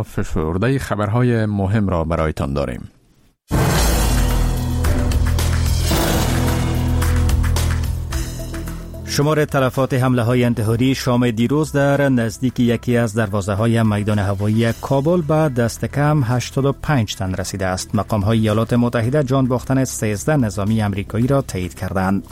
فشرده خبرهای مهم را برایتان داریم. شمار تلفات حمله های انتحاری شام دیروز در نزدیک یکی از دروازه های میدان هوایی کابل به دست کم 85 تن رسیده است. مقام های ایالات متحده جان باختن 13 نظامی امریکایی را تایید کردند.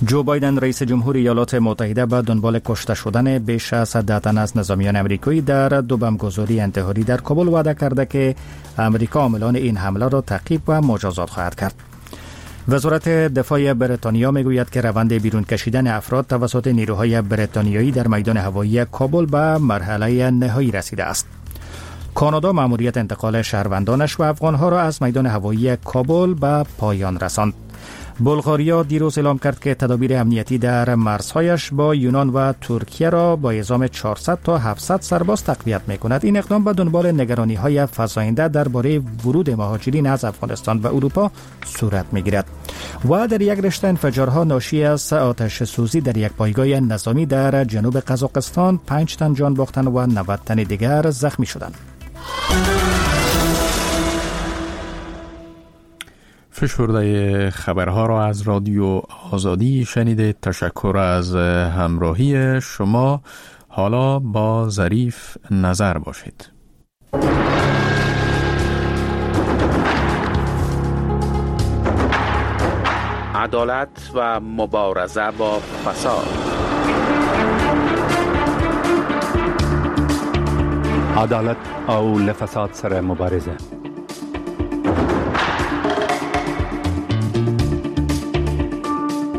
جو بایدن رئیس جمهور ایالات متحده به دنبال کشته شدن بیش از 10 تن از نظامیان امریکایی در دو بمبگذاری انتحاری در کابل وعده کرده که امریکا عاملان این حمله را تعقیب و مجازات خواهد کرد. وزارت دفاع بریتانیا میگوید که روند بیرون کشیدن افراد توسط نیروهای بریتانیایی در میدان هوایی کابل به مرحله نهایی رسیده است. کانادا مأموریت انتقال شهروندانش و افغانها را از میدان هوایی کابل به پایان رساند. بلغاریا دیروز اعلام کرد که تدابیر امنیتی در مرزهایش با یونان و ترکیه را با اعزام 400 تا 700 سرباز تقویت می‌کند. این اقدام به دنبال نگرانی‌های فزاینده درباره ورود مهاجرین از افغانستان به اروپا صورت می‌گیرد. و در یک رشته انفجارها ناشی از آتش سوزی در یک پایگاه نظامی در جنوب قزاقستان 5 تن جان باختند و 90 تن دیگر زخمی شدند. فشرده خبرها را از رادیو آزادی شنیده. تشکر از همراهی شما. حالا با ظریف نظر باشید. عدالت و مبارزه با فساد. عدالت او له فساد سره مبارزه.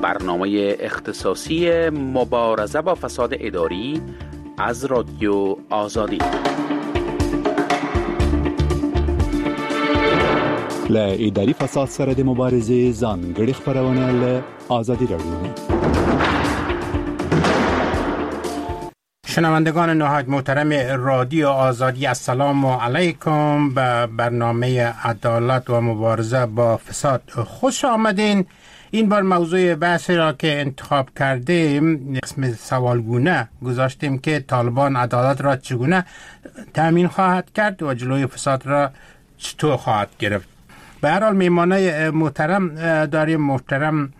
برنامه اختصاصی مبارزه با فساد اداری از رادیو آزادی. له اداري فساد سره د مبارزې ځانګړې خپرونه له ازادي رادیو. شنوندگان نهایت محترم رادیو آزادی، السلام علیکم. به برنامه عدالت و مبارزه با فساد خوش آمدین. این بار موضوع بحث را که انتخاب کردیم قسم سوالگونه گذاشتیم که طالبان عدالت را چگونه تامین خواهد کرد و جلوی فساد را چطور خواهد گرفت. به هر حال میمانه محترم داریم، محترم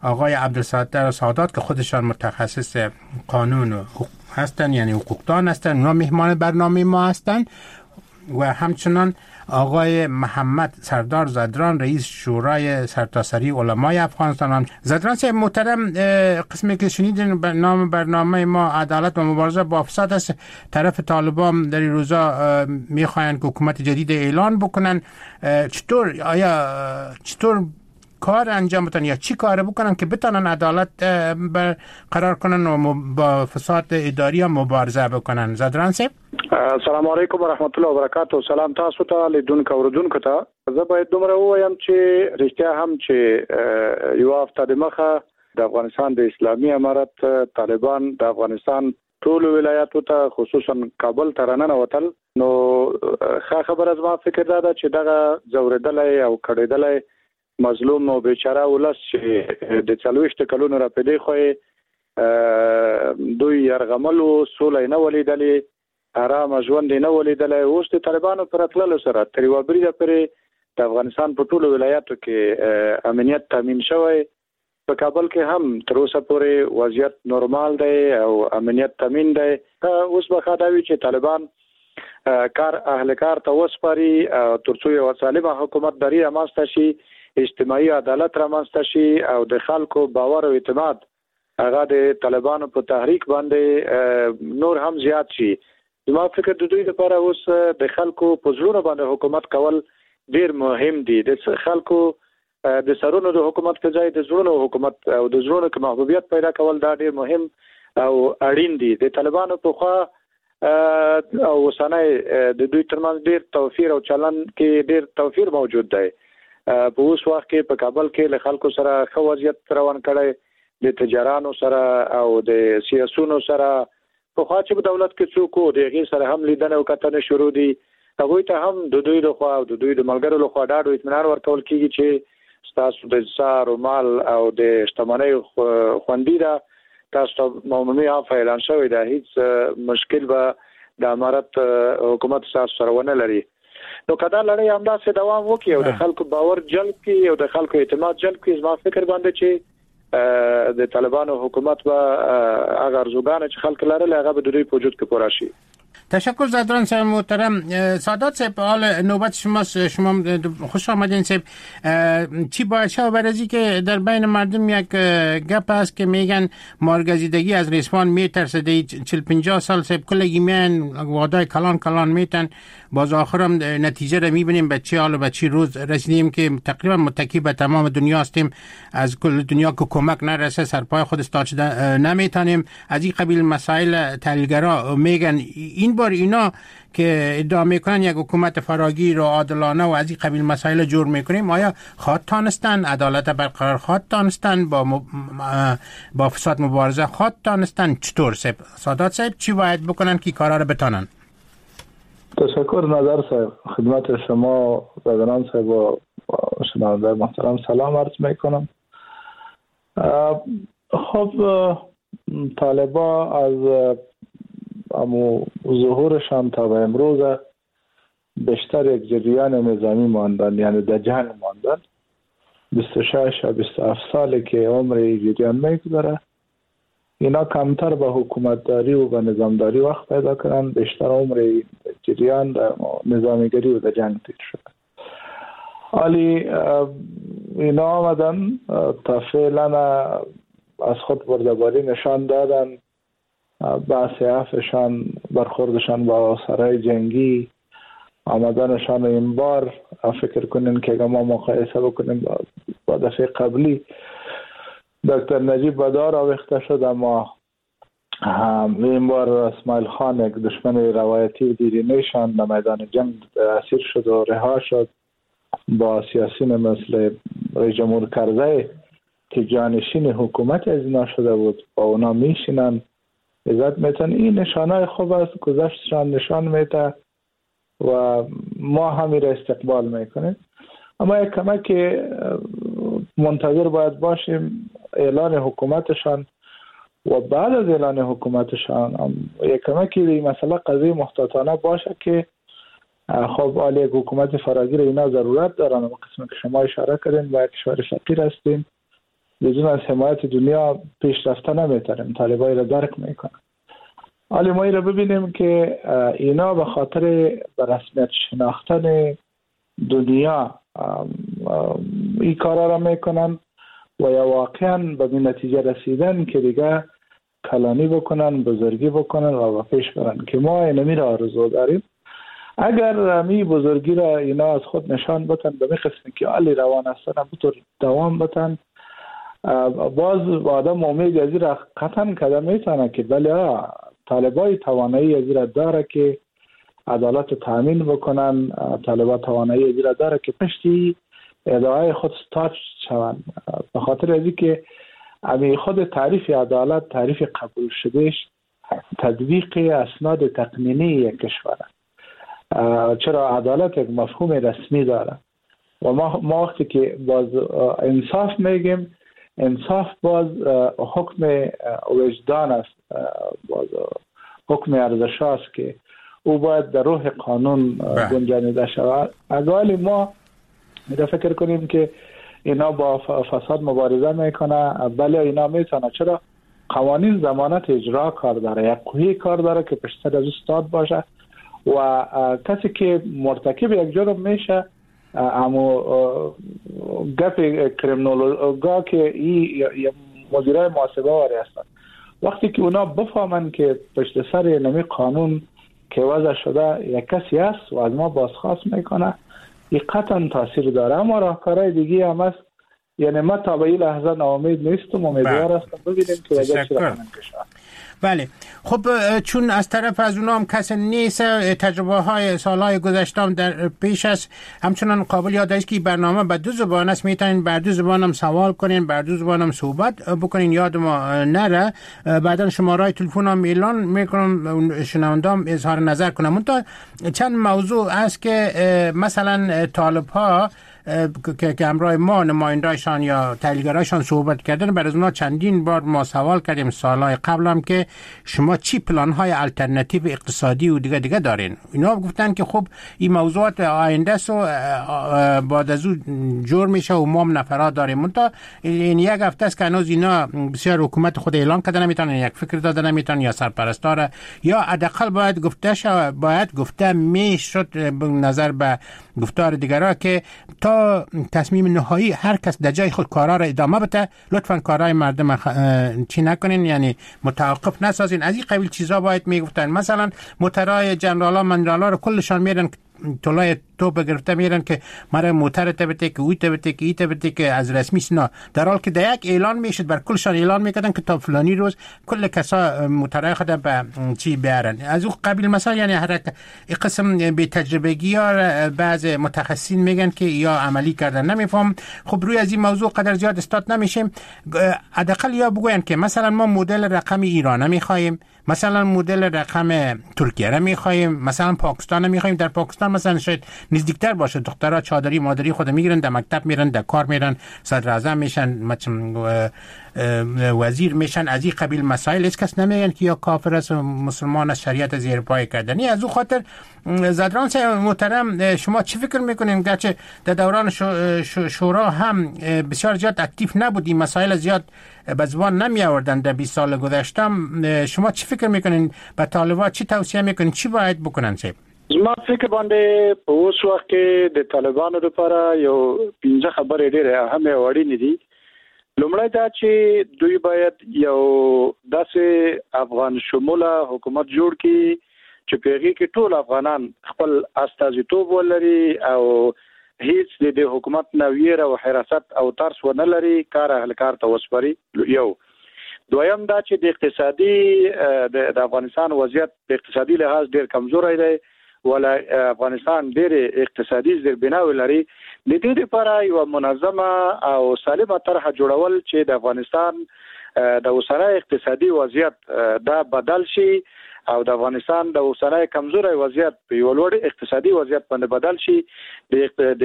آقای عبدالستار سادات که خودشان متخصص قانون هستند، یعنی حقوقدان هستند، اونا میهمان برنامه ما هستند، و همچنان آقای محمد سردار زدران رئیس شورای سرتاسری علمای افغانستان. هم زدران صاحب محترم، قسمی که شنیدین نام برنامه ما عدالت و مبارزه با فساد است. طرف طالبان در این روزا میخواهند که حکومت جدید اعلان بکنن. چطور، آیا چطور کار انجام بدن یا چی کار بکنن که بتونن عدالت برقرار کنن و با فساد اداری هم مبارزه بکنن؟ زدران صاحب، السلام علیکم ورحمت الله وبرکاته. سلام تاسو ته، لیدونکو اوریدونکو ته. زه باید دومره ووایم چې رښتیا هم چې یوه هفته دمخه د افغانستان د اسلامي امارت طالبان د افغانستان ټولو ولایاتو ته خصوصا کابل ته راننوتل، نو ښه خبره زما فکر دا ده چې دغه ځورېدلی او کړېدلی مظلوم او بیچاره ولس چې د 40 کلونو را پیدې خو دوی یرغمل وو، سوله یې نه وه لیدلې، آرامه ژوند یې نه وه لیدلی. اوس د طالبانو په راتللو سره تر یوه بریده پورې د افغانستان په ټولو ولایاتو کې امنیت تامین شوی. په کابل کې هم تر اوسه پورې وضعیت نورمال دی او امنیت تامین دی. اوس به ښه دا وي چې طالبان کار اهل کار ته وسپاري ترڅو یو سالمه حکومت داري رامنځته شي، اجتماعي عدالت رامنځته شي او د خلکو باور او اعتماد هغه د طالبانو په تحریک باندې نور هم زیات شي. زما فکر د دوی لپاره اوس د خلکو په زړونو باندې حکومت کول ډیر مهم دي. د خلکو د سرونو د حکومت په ځای د زړونو حکومت او د زړونو کې محبوبیت پیدا کول دا ډیر مهم او اړین دي. د طالبانو په خوا او اوسنی د دوی ترمنځ ډیر توفیر او چلن کې ډیر توفیر موجود دی. په اوس وخت کې په کابل کې له خلکو سره ښه وضعیت روان کړی، د تجارانو سره او د سیاسونو سره. پخوا چې په دولت کې څوک وو د هغې سره هم لیدنه او کتنه شروع دي. هغوی ته هم د دوی لخوا او د دوی د ملګرو لخوا ډاډ او اطمینان ورکول کېږي چې ستاسو د سار او مال او د شتمنۍ خوندي ده، تاسو ته عمومي عفوه اعلان شوې ده، هیڅ مشکل به د امارت حکومت سره ونه لري. نو که دا لړۍ همداسې دوام وکړي او د خلکو باور جلب کړي او د خلکو اعتماد جلب کړي، زما فکر باندې چې د طالبانو حکومت به هغه ارزوګانې چې خلک لرل هغه به د دوی په وجود کې پوره شي. تشکر زدران صاحب محترم. سادات صاحب، حال نوبت شماست، شما خوش آمدین صاحب. چی باید شود برای که در بین مردم یک گپ است که میگن مارگزیدگی از ریسمان میترسه، 40-50 سال صاحب کلگی میان وعده کلان کلان میتن، باز آخرم نتیجه رو میبینیم به چه حال و به چه روز رسیدیم که تقریبا متکی به تمام دنیا هستیم، از کل دنیا که کمک نرسه سرپای خود استاد شده نمیتونیم. از این قبیل مسائل تحلیلگرا میگن. این بار اینا که ادعا میکنن یک حکومت فراگیر و عادلانه و از این قبیل مسائل جور میکنیم، آیا خواد تانستن عدالت برقرار خواد تانستن، با فساد مبارزه خواد تانستن؟ چطور صاحب سادات صاحب چی باید بکنن که کارا رو بتانن؟ تشکر نظر صاحب، خدمت شما زدران صاحب و شنونده محترم سلام عرض میکنم. خب طالبا از امو ظهورشان تا به امروز بیشتر یک جریان نظامی ماندن، یعنی در جنگ ماندن. 26 یا 27 ساله که عمر جریان میگذره، اینا کمتر به حکومتداری و به نظامداری وقت پیدا کردن، بیشتر عمر جریان در نظامیگری و در جنگ تیر شده. حالی اینا آمدن تا فعلا از خود بردباری نشان دادن، بحث عفشان، برخوردشان با سرای جنگی، آمدنشان این بار فکر کنین که اگر ما مقایسه بکنیم با دفعه قبلی، دکتر نجیب به دار آویخته شد، اما این بار اسماعیل خان یک دشمن روایتی و دیرینه‌شان در میدان جنگ اسیر شد و رها شد با سیاسیون مثل رئیس جمهور کرزی که جانشین حکومت از اینا شده بود، با اونا میشینن عزت میتن. این نشانه خوب است، گذشتشان نشان میته و ما همی را استقبال میکنیم. اما یک کمک منتظر باید باشیم اعلان حکومتشان و بعد از اعلان حکومتشان یک کمکی این مسئله قضیه محتاطانه باشه که خب حالا یک حکومت فراگیر اینا ضرورت دارن. اما قسم که شما اشاره کردین با یک کشور فقیر هستیم، بدون از حمایت دنیا پیشرفته نمیتونیم، طالبای را درک میکنن. حالا ما را ببینیم که اینا به خاطر به رسمیت شناختن دنیا این کارا را میکنن و یا واقعا به این نتیجه رسیدن که دیگه کلانی بکنن، بزرگی بکنن و پیش برن که ما اینمی را آرزو داریم. اگر می بزرگی را اینا از خود نشان بتن به می قسمی که علی روان هستن بطور دوام بتن، باز آدم امید از را قطعا کده میتونه که بله طالبای توانایی از را داره که عدالت تامین بکنن، طالبا توانایی از را داره که پشتی ادعای خود ستاچ شوند. به خاطر از اینکه امی خود تعریف عدالت، تعریف قبول شدهش تطبیق اسناد تقنینی یک کشور. چرا عدالت یک مفهوم رسمی داره و ما وقتی که باز انصاف میگیم، انصاف باز حکم وجدان است، باز حکم ارزش است که او باید در روح قانون گنجانیده شود. اگر ما فکر کنیم که اینا با فساد مبارزه میکنه، بله اینا میتونه. چرا؟ قوانین ضمانت اجرا کار داره، یک قوی کار داره که پشت از استاد باشه و کسی که مرتکب یک جرم میشه، اما گپ کریمینولوگا که ای مدیرای محاسبه واری هستن، وقتی که اونا بفهمن که پشت سر نمی قانون که وضع شده یک کسی هست و از ما بازخواست میکنه، این قطعا تاثیر داره. اما راهکارهای دیگه هم هست، یعنی ما تا به این لحظه ناامید نیستم، امیدوار هستم ببینیم که وضع چی رقم کشور. بله خب چون از طرف از اونا هم کسی نیست، تجربه های سالهای گذشته در پیش است. همچنان قابل یاد است که برنامه به دو زبان است، میتونین بر دو زبان هم سوال کنین، بر دو زبان هم صحبت بکنین، یاد ما نره. بعدا شماره تلفن هم اعلان میکنم، شنوندام اظهار نظر کنم. تا چند موضوع است که مثلا طالب ها که همراه ما نماینده‌شان یا تحلیلگرایشان صحبت کردن، بر از اونا چندین بار ما سوال کردیم سالهای قبل هم که شما چی پلان‌های آلترناتیو اقتصادی و دیگه دارین. اینا گفتن که خب این موضوعات آینده است و بعد از او جور میشه و ما هم نفرات داریم. منتها این یک هفته است که هنوز اینا بسیار حکومت خود اعلان کردن نمیتونن، یک فکر دادن نمیتونن، یا سرپرستار یا حداقل باید گفته شود، باید گفته میشد نظر به گفتار دیگرا که تا تصمیم نهایی هر کس در جای خود کارا را ادامه بده، لطفا کارهای مردم چی نکنین، یعنی متوقف نسازین. از این قبیل چیزا باید میگفتن. مثلا موترای جنرالا منرالا رو کلشان میرن طلای توپ گرفته میرن که مرا موتر تبته که اوی تبته که ای تبته که از رسمی نه، در حال که در یک اعلان میشد بر کلشان اعلان میکردن که تا فلانی روز کل کسا موترای خود به چی بیارن. از او قبیل مثلا، یعنی هر قسم بی تجربگی ها بعض متخصصین میگن که یا عملی کردن نمیفهم. خب روی از این موضوع قدر زیاد استاد نمیشیم. حداقل یا بگوین که مثلا ما مدل رقم ایران میخوایم، مثلا مدل رقم ترکیه را میخوایم، مثلا پاکستان میخوایم. در پاکستان مثلا شاید نزدیکتر باشه، دخترها چادری مادری خود میگیرن، در مکتب میرن، در کار میرن، صدر اعظم میشن، وزیر میشن. از این قبیل مسائل هیچ کس نمیگن که یا کافر است و مسلمان است، شریعت زیر پای کردنی. از او خاطر زدران محترم شما چی فکر میکنین؟ گرچه در دوران شورا هم بسیار زیاد اکتیو نبود، این مسائل زیاد به زبان نمی آوردن در 20 سال گذشته، شما چی فکر میکنین؟ به طالبان چی توصیه میکنین؟ چی باید بکنن؟ صاحب زما فکر باندې په اوس وخت کې د طالبانو لپاره یو 15 خبرې ډېرې اهمې او اړینې دي. لومړی دا چې دوی باید یو داسې افغان شموله حکومت جوړ کړي چې په هغې کې ټول افغانان خپل استازیتوب ولري او هیڅ د دې حکومت نه ویره او حراست او ترس ونه لري، کار اهل کار ته وسپاري. یو دویم دا چې د اقتصادي د افغانستان وضعیت په اقتصادي لحاظ ډېر کمزوری دی، ولا افغانستان ډېر اقتصادي زیربناوې لري. د دې لپاره یوه منظمه او سالمه طرحه جوړول چې د افغانستان د اوسنی اقتصادي وضعیت دا بدل شي او د افغانستان د اوسنی کمزوری وضعیت په یو لوړ اقتصادي وضعیت باندې بدل شي،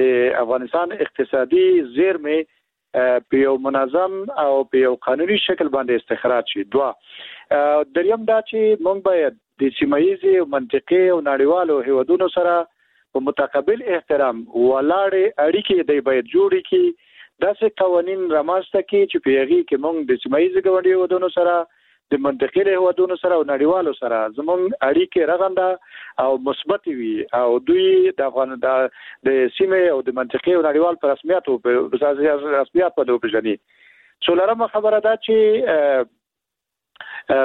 د افغانستان اقتصادي زیرمې په یو منظم او په یو قانوني شکل باندې استخراج شي. دوه دریم دا چې موږ باید د سیمه ییزې او منطقې او نړیوالو هیوادونو سره په متقابل احترام ولاړې اړیکې دی باید جوړې کړي، داسې قوانین رامنځته کړي چې په هغې کې موږ د سیمه ییزې ګاونډیو هیوادونو سره، د منطقې له هیوادونو سره او نړیوالو سره زموږ اړیکې رغنده او مثبتې وي او دوی د افغان د سیمې او د منطقې او نړیوال په رسمیت باندې وپېژني. څلورمه خبره دا چې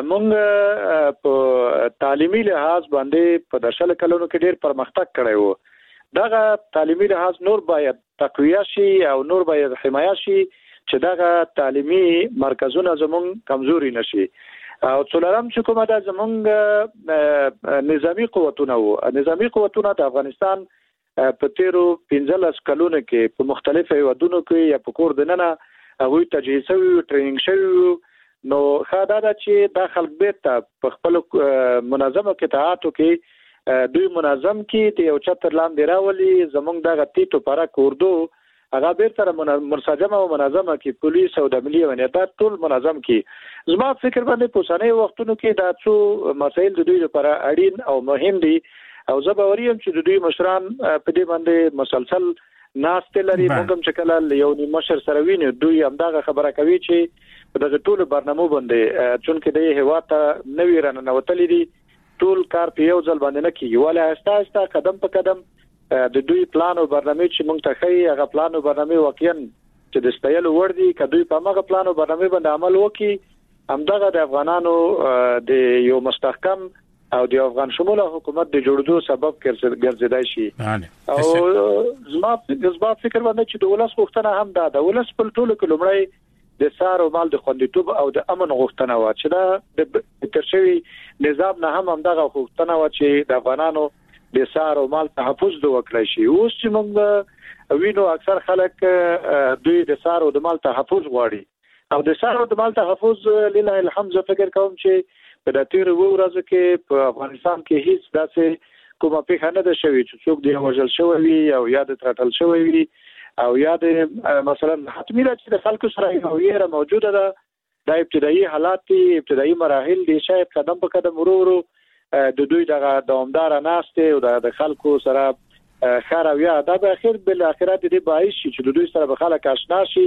مونږ په تعلیمي لحاظ باندې په 10 کلونو کې ډیر پرمختګ کړی وو، دغه تعلیمي لحاظ نور باید تقویه شي او نور باید حمایه شي چې دغه تعلیمي مرکزونه زمونږ کمزوري نشي. او څلورم چې کومه ده زمونږ نظامي قوتونه وو، نظامي قوتونه د افغانستان په تیرو 15 کلونو کې په مختلفو هیوادونو کې یا په کور دننه هغوی تجهیز شوي وو، training شوي وو. نو ښه دا ده چې دا خلک بیرته په خپلو منظمو قطعاتو کې دوی منظم کړي، د یو چتر لاندې راولي. زمونږ دغه تیت و پرک اردو هغه بیرته منسجمه او منظمه کړي، پولیس او د ملي امنیت دا ټول منظم کړي. زما فکر باندې په اوسنیو وختونو کې دا څو مسایل د دوی لپاره اړین او مهم دي او زه باوري یم چې د دوی مشران په دې باندې مسلسل ناستې لري. موږ هم چې کله له یو نیم مشر سره وینو دوی همدغه خبره کوي چې په دغه ټولو برنامو باندې چونکې د هیواد ته نوي راننوتلي دي، ټول کار په یو ځل باندې نه کېږي، ولې آهسته آهسته قدم په قدم د دوی پلان او برنامې چې موږ ته ښیي هغه پلان او برنامې واقعا چې د ستایلو وړ دي. که دوی په هماغه پلان او برنامې باندې عمل وکړي، همدغه د افغانانو د یو مستحکم او د افغان شموله حکومت د جوړېدو سبب ګرځېدای شي. او زما فکر باندې چې د ولس غوښتنه هم دا ده، ولس په ټولو کې لومړی د سار او مال د خوندیتوب او د امن غوښتنه وه چې دا د تېر شوي نظام نه هم همدغه غوښتنه وه چې د افغانانو د سار او مال تحفظ د وکړای شي. اوس چې موږ وینو اکثر خلک دوی د سار او د مال تحفظ غواړي او د سار او د مال تحفظ لله الحمد زه فکر کوم چې په د تېرو اوو ورځو کې په افغانستان کې هیڅ داسې کومه پېښه نه ده شوې چې څوک دې وژل شوی وي او یا د ترټل شوی وي. او یا د مثلا حتمي ده چې د خلکو سره یو ویره موجوده ده. دا ابتدایي حالات دي، ابتدایي مراحل دي، شاید قدم په قدم ورو ورو د دوی دغه دوامداره ناستې او د خلکو سره ښه رویه دا به اخر بالاخره د دې باعث شي چې د دوی سره به خلک آشنا شي،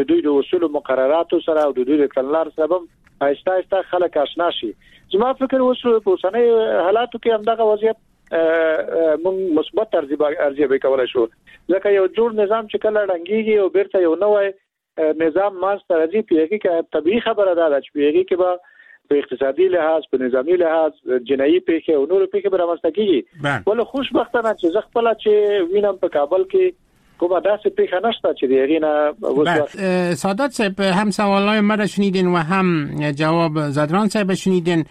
د دوی د اصولو مقرراتو سره او د دوی د کړنلارو سره به آهسته آهسته خلک آشنا شي. زما فکر اوس په اوسنیو حالاتو کې همدغه وضعیت موږ مثبت ارزیابي کولای شو، ځکه یو جوړ نظام چې کله ړنګېږي او بیرته یو نوی نظام منځته راځي، په هغې کې طبیعي خبره دا ده چې په هغې کې به په اقتصادي لحاظ، په نظامي لحاظ جنایي پېښې او نورې پېښې به رامنځته کېږي. ولې خوشبختانه چې زه خپله چې وینم په کابل کې کومه داسې پېښه نشته چې د هغې نه اوس. سادات صاحب، هم سوالای مرا شنیدین و هم جواب زدران صاحب شنیدین.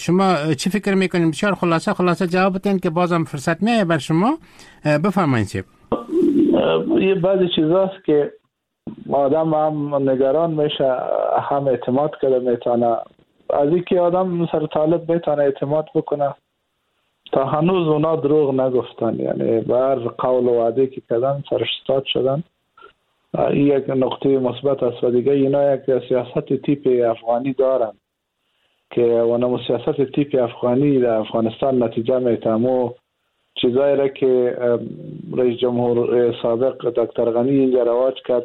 شما چی فکر میکنین؟ بسیار خلاصه خلاصه جواب بدین که بازم فرصت میایه بر شما. بفرمایید صاحب. یه بعضی چیزاست که آدم هم نگران میشه، هم اعتماد کرده میتونه. از اینکه آدم سر طالب میتونه اعتماد بکنه تا هنوز اونا دروغ نگفتن، یعنی بر قول و وعده که کردن سرش شدن. این یک نقطه مثبت است. و دیگه اینا یک سیاست تیپ افغانی دارن که اونم سیاست تیپ افغانی در افغانستان نتیجه میتمو چیزایی را که رئیس جمهور سابق دکتر غنی اینجا رواج کرد،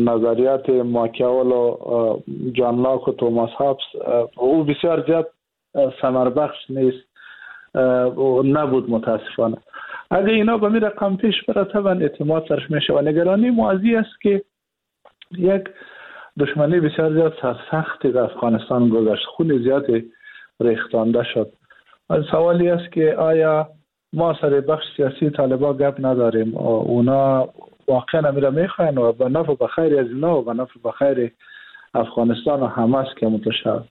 نظریات ماکیاول و جان لاک و توماس هابس، او بسیار زیاد ثمربخش نیست و نبود متاسفانه. اگه اینا به می رقم پیش بره طبعا اعتماد سرش میشه. و نگرانی موازی است که یک دشمنی بسیار زیاد سرسختی در افغانستان گذشت، خون زیاد ریختانده شد. سوالی است که آیا ما سر بخش سیاسی طالبا گپ نداریم؟ اونا واقعا امیره میخواین و به نفع بخیر از اینا و به نفع بخیر افغانستان و حماس که متشد.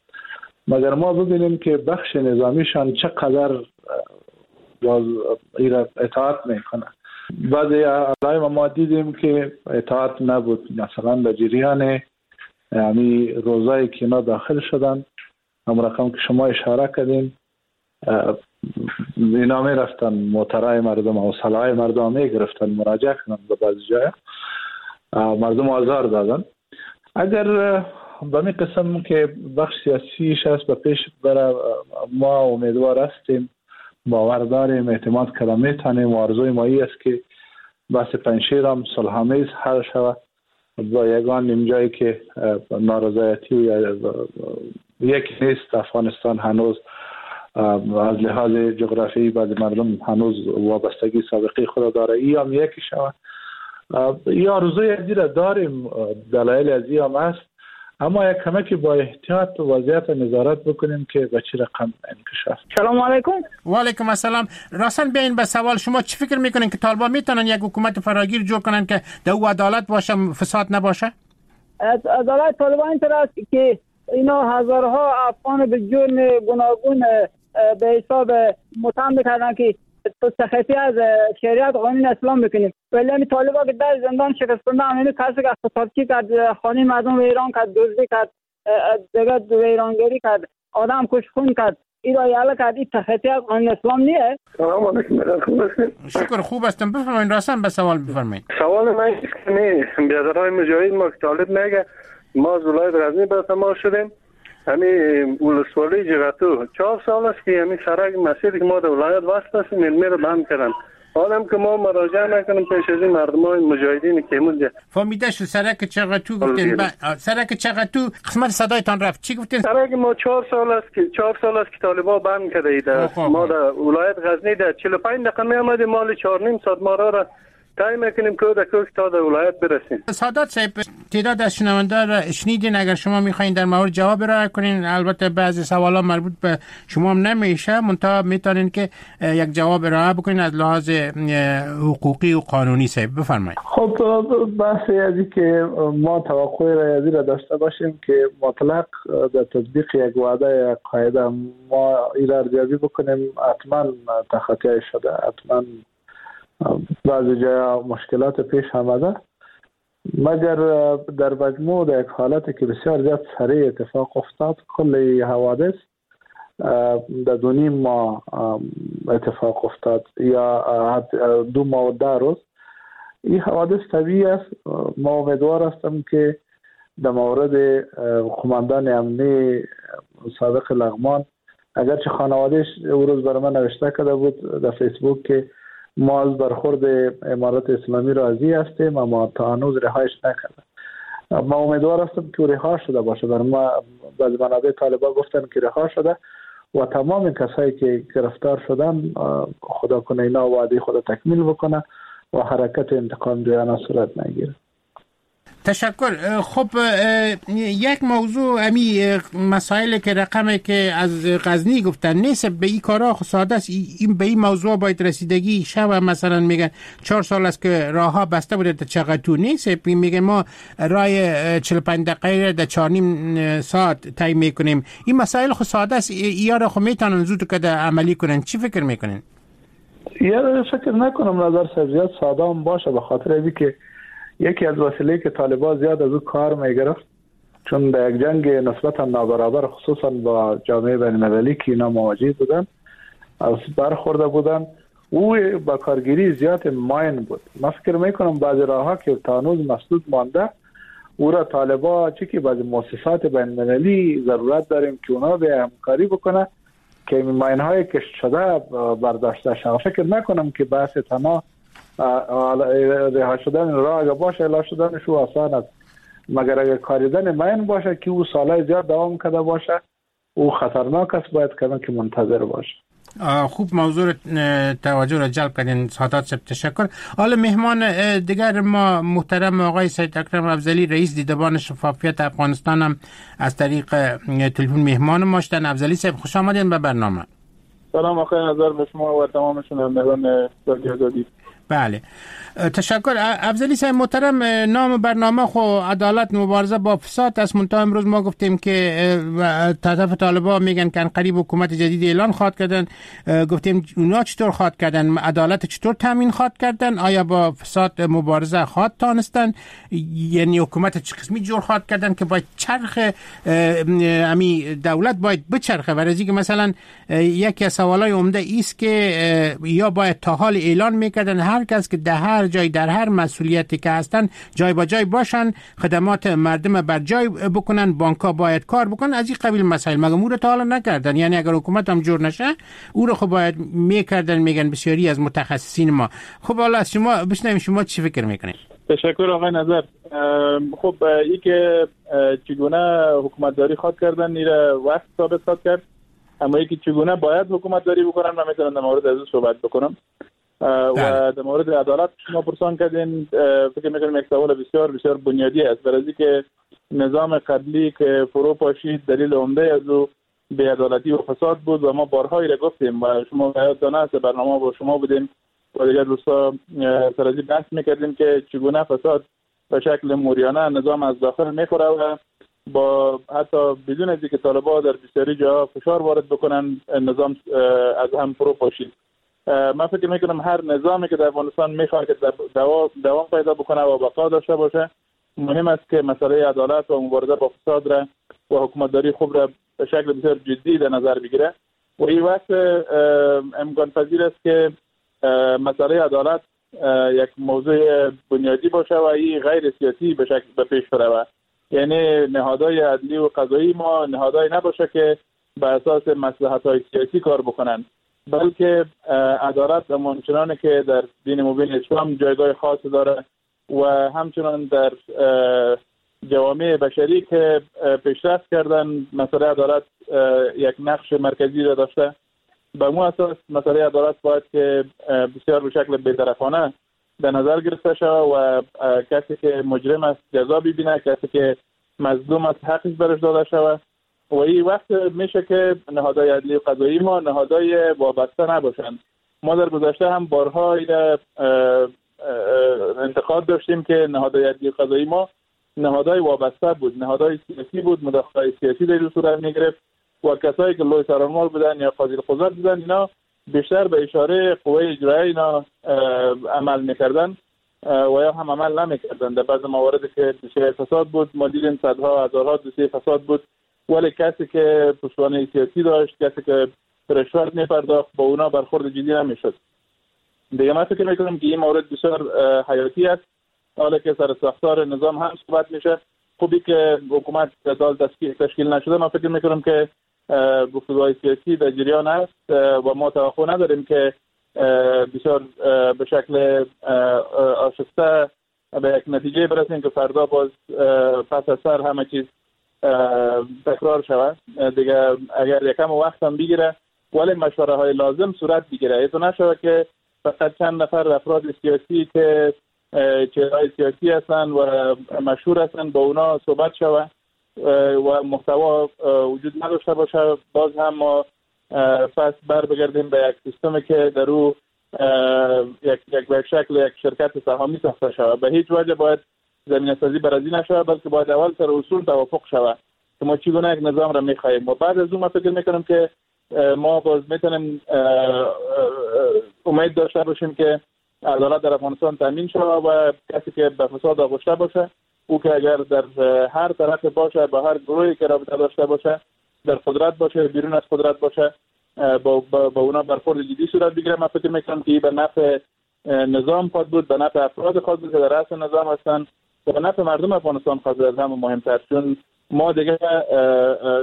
مگر ما ببینیم که بخش نظامیشان چقدر باز اطاعت میکنه. بعضی علائم ما دیدیم که اطاعت نبود، مثلا در جریان یعنی روزایی که اینا داخل شدن، هم رقم که شما اشاره کردین، اینا می رفتن موترای مردم و سلاح مردم می گرفتن، مراجعه کردن به بعضی جای مردم آزار دادن. اگر به می قسم که بخش سیاسیش است به پیش بره، ما امیدوار هستیم، باور داریم، اعتماد کرده میتونیم و آرزوی مایی است که بحث پنجشیر هم صلح‌آمیز حل شود با یگان نیم جایی که نارضایتی و یکی نیست. افغانستان هنوز از لحاظ جغرافیایی بعض مردم هنوز وابستگی سابقه خود داره، ای هم یکی شود. ای آرزوی ازی را داریم، دلایل ازی هم است، اما یک کمکی با احتیاط وضعیت نظارت بکنیم که به چه رقم انکشاف. سلام علیکم. و علیکم السلام. راساً بیاین به سوال شما، چی فکر میکنین که طالبان میتونن یک حکومت فراگیر جور کنن که در او عدالت باشه، فساد نباشه؟ عدالت طالبان اینطور است که اینا هزارها افغان به جرم گوناگون به حساب متهم میکردن که تخطی از شریعت قانون اسلام میکنیم، ولی همین طالبا که در زندان شکست خوندن، همین کسی که اقتصادچی کرد، خانه مردم ویران کرد، دزدی کرد، دیگه ویرانگری کرد، آدم کش خون کرد، این را یله کرد، این تخطی از قانون اسلام نیه؟ سلام علیکم. خوب هستین؟ شکر خوب هستم. بفرمایید، راساً به سوال بفرمایید. سوال من است که نه برادرای مجاهد ما که طالب میگه ما از ولایت غزنی به ما شدیم، همین ولسوالی جغتو 4 سال است که همین سرک مسیر که ما در ولایت وصل هستیم علمی رو بند کردن. حالا که ما مراجعه نکنیم پیش از این مردمای مجاهدین که مونده فهمیده شد. سرک چغتو گفتین، سرک چغتو قسمت صدایتان رفت، چی گفتین؟ سرک ما 4 سال است که 4 سال است که طالبا بند کرده ایده. ما در ولایت غزنی در 45 دقیقه می آمدیم، مال 4.5 ساعت ما را تای میکنیم که در کوه تا در ولایت برسیم. سادات صاحب، تعداد از شنونده را شنیدین، اگر شما میخواین در مورد جواب ارائه کنین، البته بعضی سوالا مربوط به شما هم نمیشه، منتها میتونین که یک جواب ارائه بکنین از لحاظ حقوقی و قانونی. صاحب بفرمایید. خب بحث از که ما توقع ریاضی را داشته باشیم که مطلق در تطبیق یک وعده یک قاعده ما این را ارزیابی بکنیم، حتما تخطی شده، حتما بعضی جای مشکلات پیش آمده، مگر در مجموع در یک حالت که بسیار زیاد سریع اتفاق افتاد، کل حوادث در 2.5 ماه اتفاق افتاد یا 2 ماه و 10 روز. این حوادث طبیعی است. ما امیدوار هستم که در مورد قماندان امنی سابق لغمان، اگرچه خانوادهش او روز برای من نوشته کرده بود در فیسبوک که ما از برخورد امارت اسلامی راضی هستیم، اما تا هنوز رهایش نکرده. ما امیدوار هستم که رها شده باشه. بر ما بعض منابع طالبان گفتن که رها شده و تمام کسایی که گرفتار شدن خدا کنه اینا وعده خود تکمیل بکنه و حرکت انتقام جویانه صورت نگیره. تشکر. خب یک موضوع امی مسائل که رقمی که از غزنی گفتن نیست، به این کارا ساده است، این به این موضوع باید رسیدگی شوه. مثلا میگن 4 سال است که راه ها بسته بوده تا چقدر نیست، میگن ما راه 45 دقیقه در 4.5 ساعت طی میکنیم. این مسائل خو ساده است، یا را خو میتونن زود که عملی کنن. چی فکر میکنن؟ یا فکر نکنم نظر زیاد ساده هم باشه، به خاطر اینکه یکی از وسیله که طالبان زیاد از او کار میگرفت، چون در یک جنگ نسبتا نابرابر خصوصا با جامعه بین المللی که اینا مواجه بودن از برخورده بودن، او با کارگیری زیاد ماین بود. من فکر میکنم بعضی راهها که تا هنوز مسدود مانده او را طالبا چه که بعضی مؤسسات بین المللی ضرورت داریم که اونا به همکاری بکنه که ماین های کشت شده برداشته شود. فکر نکنم که بحث تنها رها شدن راه اگه باشه الا شدنش او آسان است، مگر اگه کاریدن ماین باشه که او سالهای زیاد دوام کرده باشه او خطرناک است، باید کمی که منتظر باشه. خوب موضوع توجه را جلب کردین سادات صاحب، تشکر. حالا مهمان دیگر ما محترم آقای سید اکرم افضلی رئیس دیدبان شفافیت افغانستان هم از طریق تلفن مهمان ما شدن. افضلی صاحب خوش آمدین به برنامه. سلام آقای نظر به شما و تمام شنوندگان رادیو آزادی. بله تشکر. افضلی صاحب محترم، نام برنامه خو عدالت مبارزه با فساد است. منتها امروز ما گفتیم که طرف طالبا میگن که قریب حکومت جدید اعلان خواهد کردن. گفتیم اونا چطور خواهد کردن، عدالت چطور تامین خواهد کردن، آیا با فساد مبارزه خواهد تانستن، یعنی حکومت چه قسمی جور خواهد کردن که باید چرخ امی دولت باید بچرخه. برای اینکه مثلا یکی از سوالای عمده است که یا باید تا حال اعلان میکردن هر کس که در هر جای در هر مسئولیتی که هستن جای با جای باشن، خدمات مردم بر جای بکنن، بانک‌ها باید کار بکنن، از این قبیل مسائل. مگه او رو تا حالا نکردن؟ یعنی اگر حکومت هم جور نشه او رو خب باید میکردن، میگن بسیاری از متخصصین ما. خب حالا از شما بشنویم شما چی فکر میکنید؟ تشکر آقای نظر. خب ای که چگونه حکومتداری خواد کردن ایره وقت ثابت خواد کرد، اما ای که چگونه باید حکومتداری بکنن من میتونم در مورد از او صحبت بکنم. و در مورد عدالت شما پرسان کردین، فکر میکنم یک سوال بسیار بسیار بنیادی است. برای اینکه نظام قبلی که فرو پاشید دلیل عمده از او بی‌عدالتی و فساد بود و ما بارها را گفتیم و شما یادتان است برنامه با شما بودیم و دیگر دوستا سر از بحث میکردیم که چگونه فساد به شکل موریانه نظام از داخل میخوره و با حتی بدون از اینکه طالبان در بسیاری جاها فشار وارد بکنن نظام از هم فرو پاشید. من فکر میکنم هر نظامی که در افغانستان میخواد که دوام پیدا بکنه و بقا داشته باشه، مهم است که مسئله عدالت و مبارزه با فساد را و حکومتداری خوب را به شکل بسیار جدی در نظر بگیره و این وقت امکان پذیر است که مسئله عدالت یک موضوع بنیادی باشه و این غیر سیاسی به شکل به پیش بره، یعنی نهادهای عدلی و قضایی ما نهادهای نباشه که به اساس مصلحت‌های سیاسی کار بکنن، بلکه عدالت همچنان که در دین مبین اسلام جایگاه خاص داره و همچنان در جوامع بشری که پیشرفت کردن مسئله عدالت یک نقش مرکزی را داشته. به مو اساس مسئله عدالت باید که بسیار به شکل بی‌طرفانه در نظر گرفته شود و کسی که مجرم است جزا ببینه، کسی که مظلوم است حقش برش داده شود و این وقت میشه که نهادهای عدلی و قضایی ما نهادهای وابسته نباشند. ما در گذشته هم بارها انتقاد داشتیم که نهادهای عدلی و قضایی ما نهادهای وابسته بود، نهادهای سیاسی بود، مداخله سیاسی در صورت میگرفت و کسایی که لوی سرانمال بودن یا قاضی القضات بودن اینا بیشتر به اشاره قوه اجرایی اینا عمل میکردن و یا هم عمل نمیکردن. در بعض موارد که دوسیه فساد بود ما دیدیم صدها هزارها دوسیه فساد بود، ولی کسی که پشتوانه سیاسی داشت، کسی که رشوت میپرداخت، با اونا برخورد جدی نمیشد. دیگه من فکر میکنم که این مورد بسیار حیاتی است. حالا که سر ساختار نظام هم صحبت میشه، خوبی که حکومت دال تشکیل نشده، من فکر میکنم که گفتگوهای سیاسی در جریان است و ما توقع نداریم که بسیار به شکل آشفته به یک نتیجه برسیم که فردا باز پس از سر همه چیز تکرار شود. دیگه اگر یکم وقت هم بگیره ولی مشوره های لازم صورت بگیره، ایتو نشود که فقط چند نفر افراد سیاسی که چهره‌های سیاسی هستند و مشهور هستند با اونا صحبت شود و محتوا وجود نداشته باشه. باز هم ما پس بر بگردیم به یک سیستم که در او یک به شکل یک شرکت سهامی ساخته شود. به هیچ وجه باید زمینه سازی برازی نشود، بلکه باید اول سر اصول توافق شود که ما چگونه یک نظام را میخواهیم و بعد از اون ما فکر میکنم که ما باز میتونیم امید داشته باشیم که عدالت در افغانستان تامین شود و کسی که به فساد آغشته باشه، او که اگر در هر طرف باشه، با هر گروهی که رابطه داشته باشه، در قدرت باشه، بیرون از قدرت باشه، با اونا برخورد جدی صورت بگیره. من فکر میکنم که به نفع نظام خواهد بود، به نفع افراد خواهد بود که در رأس نظام هستند و به نفع مردم افغانستان خواهد بود. از همه مهمتر، چون ما دیگه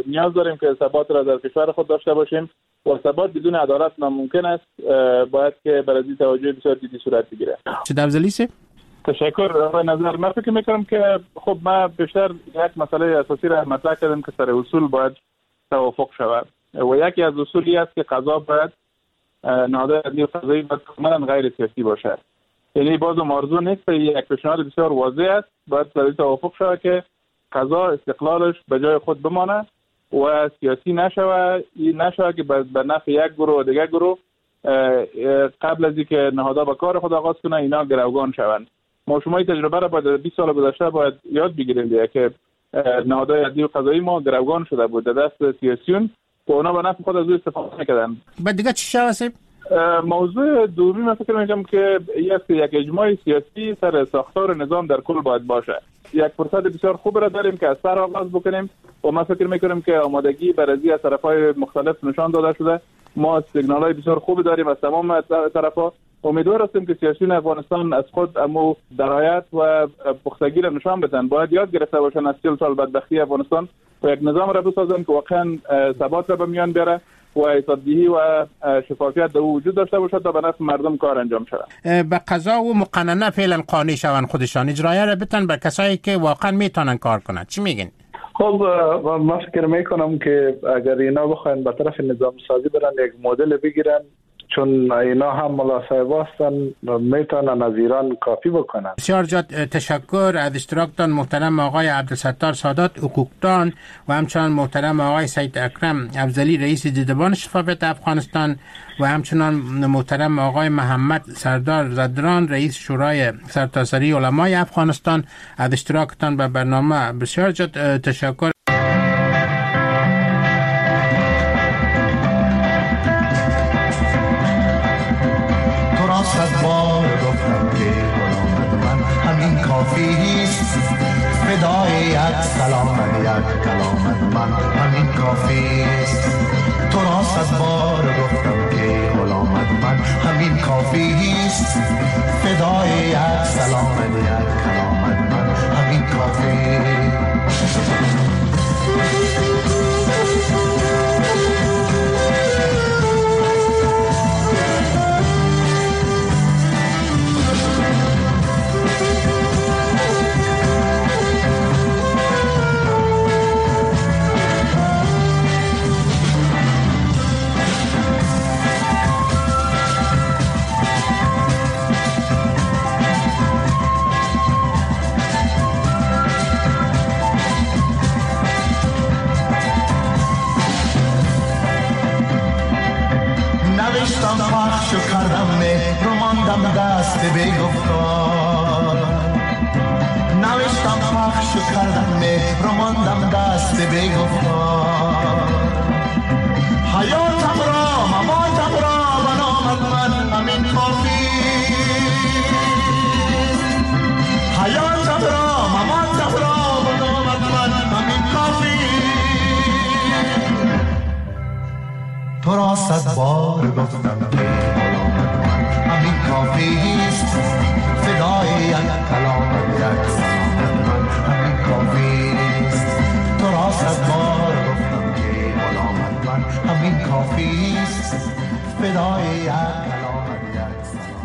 نیاز داریم که ثبات را در کشور خود داشته باشیم و ثبات بدون عدالت ناممکن است. باید که برای این توجه بسیار جدی صورت بگیره. چه افضلی سه؟ تشکر آقای نظر. من فکر میکنم که خب ما بیشتر یک مسئله اساسی را مطرح کردیم که سر اصول باید توافق شود و یکی از اصولی است که قضا باید نهادهای عدلی و قضایی باید کاملا غیر سیاسی باشد. یعنی بازم آرزو نیست، یک پیشنهاد بسیار واضح است، باید سر توافق شود که قضا استقلالش به جای خود بمانه و سیاسی نشود، این نشود که به نفع یک گروه و دیگر گروه قبل از اینکه نهادها به کار خود آغاز کنه اینا گروگان شوند. ما شما این تجربه را باید 20 سال گذشته باید یاد بگیریم دیگه که نهادهای عدلی و قضایی ما گروگان شده بود در دست سیاسیون و اونا به نفع خود از او استفاده میکردن. بعد دیگه چی شد؟ موضوع دومی من فکر میکنم که یک اجماع سیاسی سر ساختار نظام در کل باید باشه. یک فرصت بسیار خوب را داریم که از سر آغاز بکنیم و من فکر میکنم که آمادگی برای از طرف‌های مختلف نشان داده شده. ما سیگنال‌های بسیار خوب داریم از تمام طرف‌ها. امیدوار هستیم که سیاسیون افغانستان از خود امو درایت و پختگی را نشان بدن. باید یاد گرفته باشن از 40 سال بدبختی افغانستان و یک نظام را بسازن که واقعا ثبات را به میان بیاره و حسابدهی و شفافیت در وجود داشته باشد تا به نفع مردم کار انجام شود. به قضا و مقننه فعلا قانع شوند، خودشان اجرایه را بتن به کسایی که واقعا میتونن کار کنند. چی میگین؟ خب من فکر میکنم که اگر اینا بخواین به طرف نظام سازی برن، یک مدل بگیرن، چون اینا هم ملا صاحب هستن، میتونن از ایران کافی بکنن. بسیار زیاد تشکر از اشتراکتان محترم آقای عبدالستار سادات حقوقدان و همچنان محترم آقای سید اکرم افضلی رئیس دیدبان شفافیت افغانستان و همچنان محترم آقای محمد سردار زدران رئیس شورای سرتاسری علمای افغانستان. از اشتراکتان به برنامه بسیار زیاد تشکر. سلامت یک کلامت من همین کافیست. تو را صد بار گفتم که غلامت من همین کافیست. فدای یک سلامت یک کلامت من همین کافیست. پخش کردم روماندم دست به گفتار، نوشتم پخش کردم روماندم دست به گفتار. حیاتم را مماتم را به نامت من همین کافیست. حیاتم را مماتم را به نامت من همین کافیست. تو را صد بار گفتم که غلامت من همین کافیست. صد بار گفتم که غلامت من همین کافی است، فدای یک